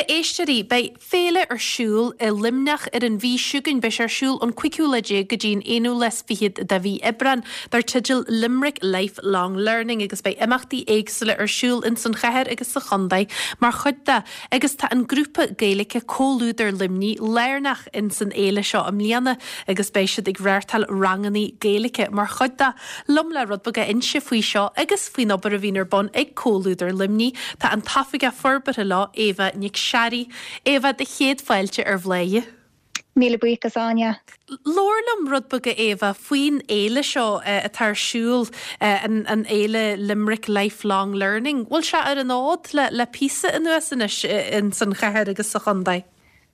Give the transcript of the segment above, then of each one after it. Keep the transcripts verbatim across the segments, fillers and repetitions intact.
Bhuel a éisteoirí, beidh féile ar siúl i Luimneach ar an mhí seo chugainn beidh sé ar siúl ón cúigiú lá déag go dtí an aonú lá is fichead de mhí Aibreán dar teideal Limerick Lifelong Learning agus beidh imeachtaí éagsúla ar siúl in san chathair agus sa chontae mar chuid de agus tá an grúpa Gaeilge Comhluadar Luimnigh lárnach in san fhéile seo i mbliana agus beidh siad ag reáchtáil ranganna Gaeilge mar chuid de. Liom le rud beag a inse faoi seo agus faoin obair a bhíonn ar bun ag Comhluadar Luimnigh tá an tOifigeach Forbartha leo Éabha Nic Searaidh. Éabha do chéad fáilte ar Bhladhaire. Míle buíochas Áine. Labhair liom rud beag a Éabha faoin fhéile seo atá ar siúl an an fhéile Limerick Lifelong Learning. Bhfuil sé ar an fhód le le píosa anuas anois in san chathair agus sa chontae.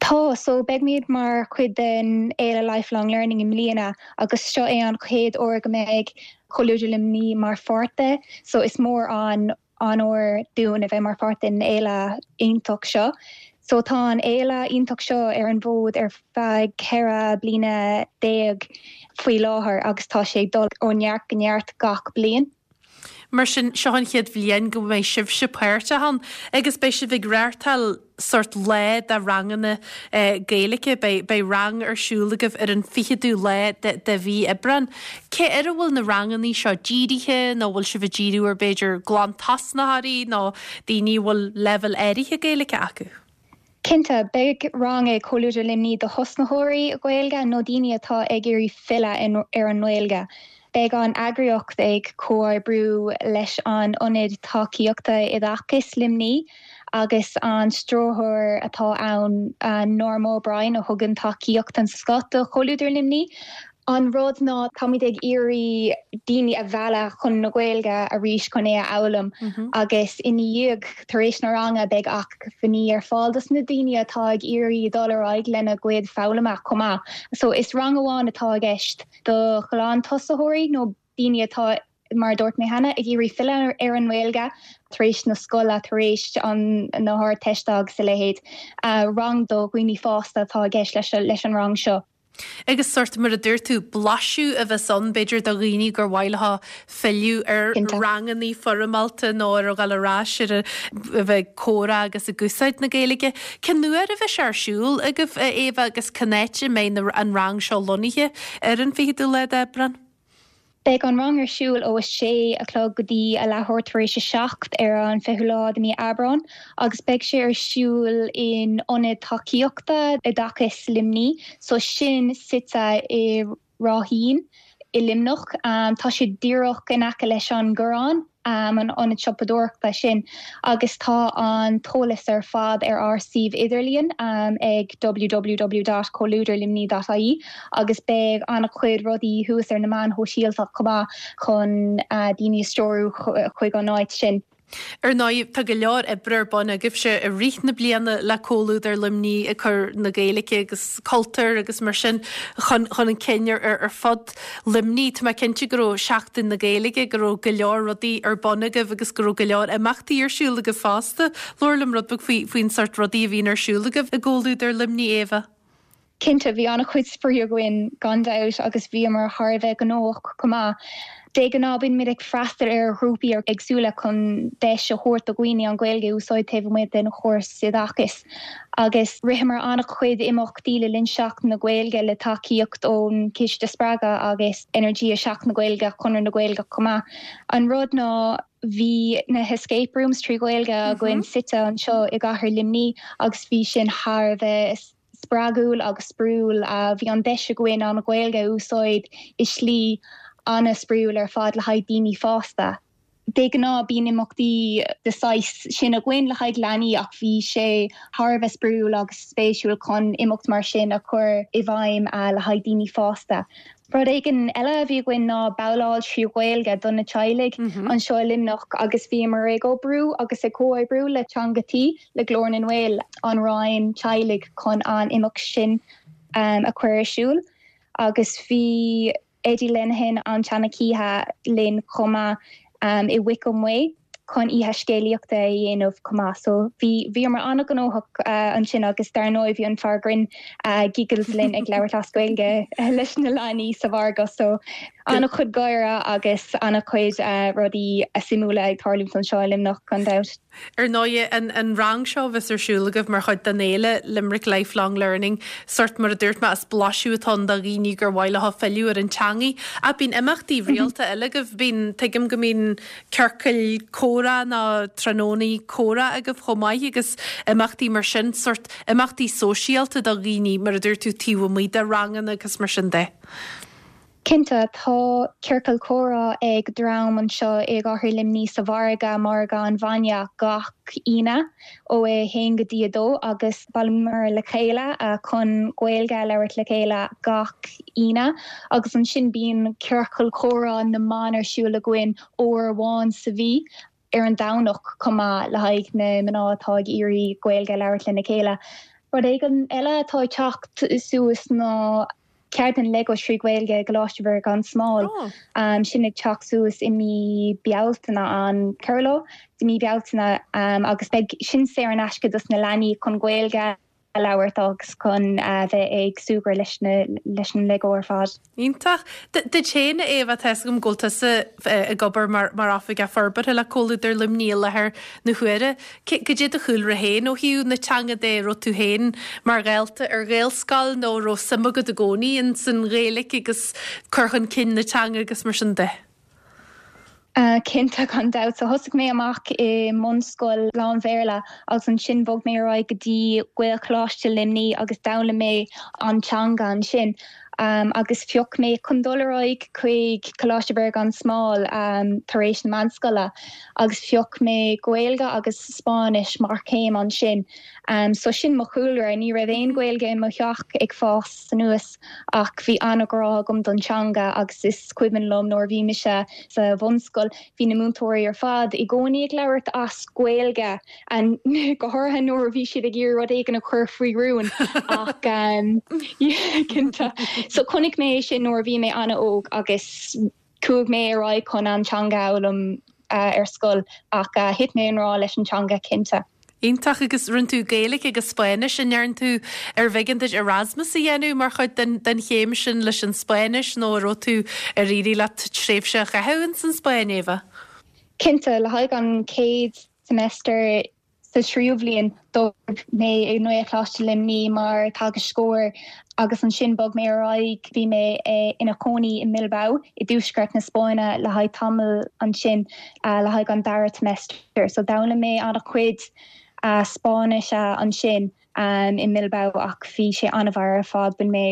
Tá so beimid mar chuid den fhéile Lifelong Learning i mbliana agus seo é an chéad uair go mbeidh Comhluadar Luimnigh mar pháirt de, so is mór an onóir dúinn a bheith mar pháirt den fhéile iontach seo. So tá an fhéile iontach seo ar an bhfód ar feadh ceithre bliana déag faoi láthair agus tá sé dul ó neart go neart gach bliain. Mar sin seo an chéad bhliain go mbeidh sibhse páirteach ann agus beidh sibh ag reáchtáil sórt lá de ranganna Gaeilge beidh rang ar siúl agaibh ar an fichiú lá de, de mhí Aibreán. Cé ar a bhfuil na ranganna seo dírithe nó bhfuil sibh ag díriú ar b'fhéidir glantosnaitheoirí nó daoine bhfuil leibhéal áirithe Gaeilge acu. Cinnte beidh rang ag Comhluadar Luimnigh do thosnaitheoirí Gaeilge nó daoine atá ag iarraidh filleadh ar an nGaeilge. Beidh an eagraíocht ag comhoibriú leis an Ionad Tacaíochta Oideachais Luimnigh agus an stiúrthóir atá ann Norma O'Brien a thugann tacaíocht den scoth do Chomhluadar Luimnigh. An rud ná táimid ag iarraidh daoine a mhealladh chun na Gaeilge arís chun é a fhoghlaim agus ina dhiaidh tar éis na ranga beidh acmhainní ar fáil dos na daoine atá ag iarraidh dul ar aghaidh lena gcuid foghlama chomh maith. So is rang amháin atá i gceist do ghlantosaitheoirí nó daoine atá mar dúirt mé cheana ag iarraidh filleadh ar an nGaeilge tar éis na scoile tar éis an na hArdteiste agus a leithéid uh, rang do dhaoine fásta atá i gceist leis, leis an rang seo. Agus sórt mar a dúirt tú blaiseadh a bheas ann b'fhéidir do dhaoine gur mhaith leo filleadh ar ranganna foirmeálta nó ar a ghabháil ar ais ar a bheith comhrá agus ag úsáid na Gaeilge. Cén uair a bheidh sé ar siúl agaibh Éabha agus cá háit a mbeidh an rang seo lonnaithe ar an fichiú lá d'Aibreán. Beidh an rang ar siúl ó a sé a chlog go dtí a leathuair tar éis a seacht ar an fichiú lá de mhí Aibreán, agus beidh sé ar siúl in ionad tacaíochta oideachais Luimnigh, so sin suite i Ráithín i Luimneach. Um, tá sé díreach in aice leis an gCoireán um, an ionad siopadóireachta sin agus tá an t-eolas ar fad ar ár suíomh idirlíon um, ag www.comhluadarluimnigh.ie agus beidh an-chuid rudaí thuas ar na meáin shóisialta chomh maith chun uh, daoine a stiúradh chuig an áit sin. Ar ndóigh tá go leor oibre ar bun agaibhse i rith na bliana le Comhluadar Luimnigh ag cur na Gaeilge agus cultúr agus mar sin chun chun an cinn ar ar fud Luimnigh Tá mé cinnte go raibh Seachtain na Gaeilge go raibh go leor rudaí ar bun agaibh agus go raibh go leor imeachtaí ar siúl agaibh fosta. Labhair liom rud beag faoi faoin sórt rudaí a bhíonn ar siúl agaibh i gComhluadar Luimnigh Éabha. Cinnte bhí an-chuid spraoi againn gan dabht agus bhíomar thar a bheith gnóthach chomh maith. De ghnáth bímid ag freastal ar ghrúpaí éagsúla chun deis a thabhairt do dhaoine an Ghaeilge a úsáid taobh amuigh den chóras oideachais. Agus ritheamar an-chuid imeachtaí le linn Seachtain na Gaeilge le tacaíocht ón Chiste Spreagtha agus Energia Seachtain na Gaeilge Conradh na Gaeilge chomh maith. An rud ná bhí na escape rooms trí Ghaeilge againn suite anseo i gcathair Luimnigh agus bhí sin thar a bheith spreagúil agus spraíúil uh, bhí an deis againn an Ghaeilge a úsáid i slí an-spraíúil ar fad le haghaidh daoine fásta. De ghnáth bíonn imeachtaí de shaghas sin againn le haghaidh leanaí ach bhí sé thar a bheith spraíúil agus spéisiúil chun imeacht mar sin a chur i bhfeidhm uh, le haghaidh daoine fásta. Rud éigin eile a bhí againn ná babhláil trí Ghaeilge do na teaghlaigh mm -hmm. anseo i Luimneach agus bhíomar ag oibriú agus ag comhoibriú le Teanga Tí le Glór na nGael an Roinn Teaghlaigh chun an imeacht sin um, a chur ar siúl agus bhí Eddie Lenihan an tseanchíche linn chomh maith um, i Wickham Way chun oíche scéalaíochta a dhéanamh chomh maith so bhí bhíomar an-ghnóthach uh, ansin agus dar ndóigh bhí an fear grinn uh, Giggles linn ag labhairt as Gaeilge uh, leis na leanaí sa mhargadh so an-chuid gáire agus an-chuid uh, rudaí suimiúla ag tarlú anseo i Luimneach gan dabht. Ar ndóigh an, an rang seo a bheas ar siúl agaibh mar chuid den fhéile Limerick Lifelong Learning, sort mar a dúirt mé is blaiseadh atá ann do dhaoine gur mhaith leo filleadh ar an teangaidh. Ach bíonn imeachtaí rialta eile agaibh, bíonn, tuigim go mbíonn ciorcail comhrá nó tráthnónaí comhrá agaibh chomh maith agus imeachtaí mar sin, sort imeachtaí sóisialta do dhaoine mar a dúirt tú taobh amuigh de ranganna agus mar sin de. Cinnte tá ciorcal comhrá ag dream anseo i gcathair Luimnigh sa mhargadh margadh an bhainne gach Aoine ó a haon go dtí a dó agus bailímid le chéile chun Gaeilge a labhairt le chéile gach Aoine agus ansin bíonn ciorcal comhrá na mban ar siúl againn uair amháin sa mhí ar an Domhnach chomh maith le haghaidh na mná atá ag iarraidh Gaeilge labhairt lena chéile. Rud éigin eile atá ag teacht suas ná ceardlann Lego trí Ghaeilge Coláiste Mhuire gan Smál oh. um, sin ag teacht suas i mí Bealtaine an ceathrú lá de mí Bealtaine um, agus beidh sin saor in aisce dos na leanaí chun Gaeilge a labhairt agus chun uh, bheith ag súgradh leis na leis an Lego ar fad. Iontach Duit féin Éabha tá gom ggóilta ag obair mar mar oifigeach forbartha le Comhluadar Luimnigh i láthair na huaire. Cad é do chúlra féin ó thaobh na teanga de raibh tú féin mar dhalta ar Ghaelscoil nó raibh suim agat i gcónaí in san Ghaeilge agus cur chun cinn na teanga agus mar sin de. Uh, Cinnte gan dabht so thosaigh mé amach i mbunscoil lán-Bhéarla agus ansin bhog mé ar aghaidh go dtí Gaelcholáiste Luimnigh agus d'fhoghlaim mé an teanga ansin. Um, agus phioc mé chun dul ar aghaidh chuig Coláiste Mhuire gan Smál um, tar éis na meánscoile agus phioc mé Gaeilge agus Spáinnis mar chéim ansin. Um, so sin mo chúlra ní raibh aon Ghaeilge i mo theach ag fás anuas ach bhí an-ghrá agam don teanga agus is cuimhin liom nuair bhí mise sa bhunscoil bhí na múinteoirí ar fad i gcónaí ag labhairt as Gaeilge an go háirithe nuair bhí siad ag iarraidh rud éigin a chur faoi rún ach um, cinnte. So chonaic mé sin nuair bhí mé an-óg agus chuaigh mé ar aghaidh chun an teanga a fhoghlaim uh, ar scoil ach uh, thit mé i ngrá leis an teanga cinnte. Iontach agus rinne tú Gaeilge agus Spáinnis an ndearna tú ar bh'éigean duit Erasmus a dhéanamh mar chuid den, den chéim sin leis an Spáinnis nó raibh tú ar éirigh leat tréimhse a chaitheamh san Spáinn Éabha? Cinnte le haghaidh an chéad semester sa tríú bhliain d'oibir mé i nGaelcholáiste Luimnigh mar theagascóir agus ansin bhog mé ar aghaidh bhí mé ina chónaí i mBilbao i dtuaisceart na Spáinne le haghaidh tamall ansin uh, le haghaidh an dara semester, so d'fhoghlaim mé an-chuid uh, Spáinnis uh, ansin um, i mBilbao ach bhí sé an-mhaith ar fad bhain mé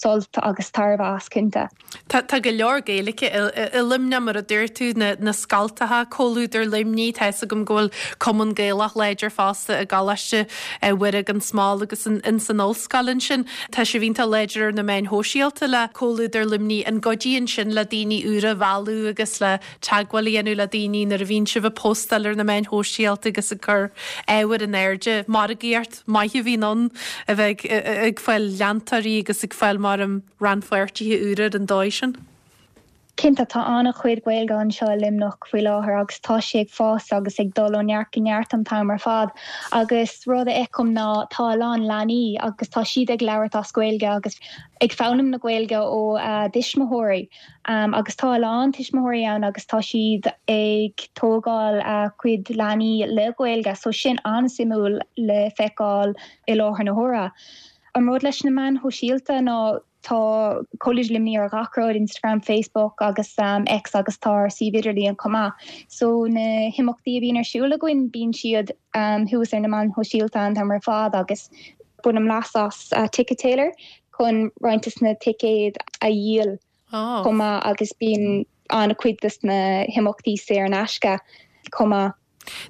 sult agus tairbhe as cinnte. Tá tá go leor Gaeilge i Luimneach mar a dúirt tú na, na scoltacha Comhluadar Luimnigh tá gom ggóil cumann Gaelach láidir fosta i gColáiste Mhuire gan Smál agus in, in san ollscoil ansin. Tá sibh iontach láidir ar na meáin shóisialta le Comhluadar Luimnigh an gcuidíonn sin le daoine úra a mhealladh agus le teagmháil a dhéanamh le daoine nuair a bhíonn sibh ag postáil ar na meáin shóisialta agus ag cur ábhar in airde margaíocht maith a bhíonn ann a bheith ag fáil leantóirí agus ag fáil mar um, rannpháirtithe úra an dóigh sin. Cinnte tá an-chuid Gaeilge anseo i Luimneach faoi láthair agus tá sé ag fás agus ag dul ó neart go neart an t-am ar fad. agus rud a fheicim ná tá a lán leanaí agus tá siad ag labhairt as Gaeilge agus ag foghlaim na Gaeilge ó uh, tuismitheoirí. Um, agus tá a lán tuismitheoirí ann agus tá siad ag tógáil a uh, cuid leanaí le Gaeilge, so sin an-suimiúil le feiceáil i láthair na huaire. An rud leis na meáin shóisialta ná tá Comhluadar Luimnigh ar gach rud Instagram, Facebook agus um, X agus tá suíomh idirlín chomh maith. So na himeachtaí a bhíonn ar siúl againn bíonn siad um, thuas ar na meáin shóisialta an t-am ar fad agus bainim leas as uh, Ticket Tailor chun roinnt des na ticéid a dhíol Oh. chomh maith agus bíonn an-chuid des na himeachtaí saor in aisce chomh maith.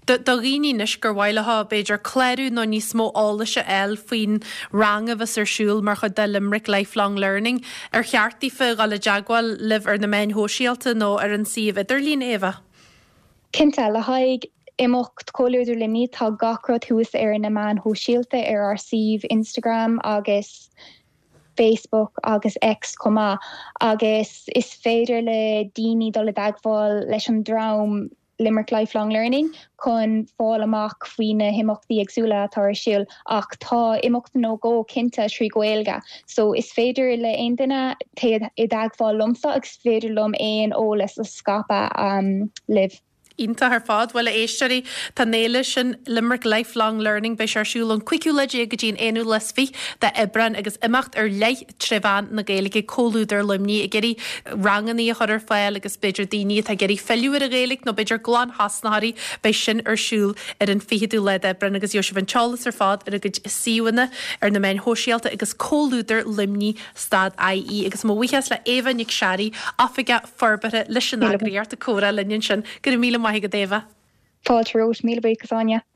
Do dhaoine anois gur mhaith leo b'fhéidir clárú nó níos mó eolais a fháil faoin rang a bheas ar siúl mar chuid de Limerick Lifelong Learning ar cheart daofa dul i dteagmháil libh ar na meáin shóisialta nó ar an suíomh idirlín Éabha. Cinnte le haghaidh imeacht Comhluadar Luimnigh tá gach rud thuas ar na meáin shóisialta ar ár suíomh Instagram agus Facebook agus X chomh maith agus is féidir le daoine dul i dteagmháil leis an dream Limerick Lifelong Learning chun fáil amach faoi na himeachtaí éagsúla atá ar siúl ach tá imeacht nó dhó cinnte trí Ghaeilge. So is féidir le aon duine i dteagmháil liomsa agus féidir liom aon eolas a scaipeadh um, libh. Iontach ar fad bhuel a éisteoirí tá an fhéile sin Limerick Lifelong Learning beidh sé ar siúl ón cúigiú lá déag go dtí an aonú lá is fiche d'Aibreán agus imeacht ar leith tré mheán na Gaeilge Comhluadar Luimnigh ag iarraidh ranganna a chur ar fáil agus b'fhéidir daoine atá ag iarraidh filleadh ar an Ghaeilge nó b'fhéidir glanthosnaitheoirí beidh sin ar siúl ar an fichiú lá d'Aibreán agus gheobhaidh sibh an t-eolas ar fad ar a gcuid suíomhanna ar na meáin shóisialta agus Comhluadar Luimnigh stad IE agus mo bhuíochas le Éabha Nic Searraigh Oifigeach Forbartha leis an eagraíocht ag comhrá linn ansin go raibh míle maith agat Éabha. Fáilte romhat míle buíochas Áine.